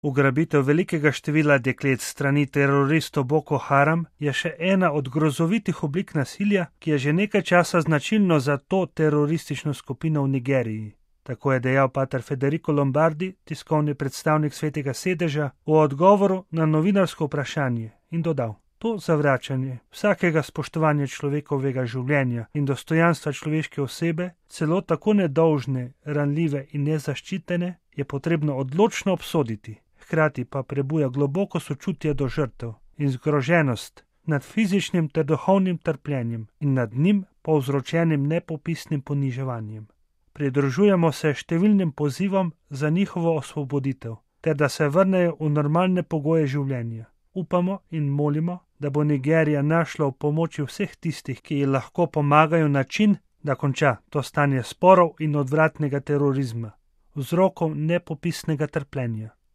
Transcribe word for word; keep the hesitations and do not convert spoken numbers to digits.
Ugrabitev velikega števila deklet strani teroristov Boko Haram je še ena od grozovitih oblik nasilja, ki je že nekaj časa značilno za to teroristično skupino v Nigeriji. Tako je dejal pater Federico Lombardi, tiskovni predstavnik Svetega sedeža, v odgovoru na novinarsko vprašanje in dodal: To zavračanje vsakega spoštovanja človekovega življenja in dostojanstva človeške osebe, celo tako nedolžne, ranljive in nezaščitene, je potrebno odločno obsoditi, hkrati pa prebuja globoko sočutje do žrtev in zgroženost nad fizičnim ter duhovnim trpljenjem in nad njim povzročenim nepopisnim poniževanjem. Pridružujemo se številnim pozivom za njihovo osvoboditev, ter da se vrnejo v normalne pogoje življenja. Upamo in molimo, da bo Nigerija našla v pomoči vseh tistih, ki ji lahko pomagajo način, da konča to stanje sporov in odvratnega terorizma, vzrokov nepopisnega trpljenja.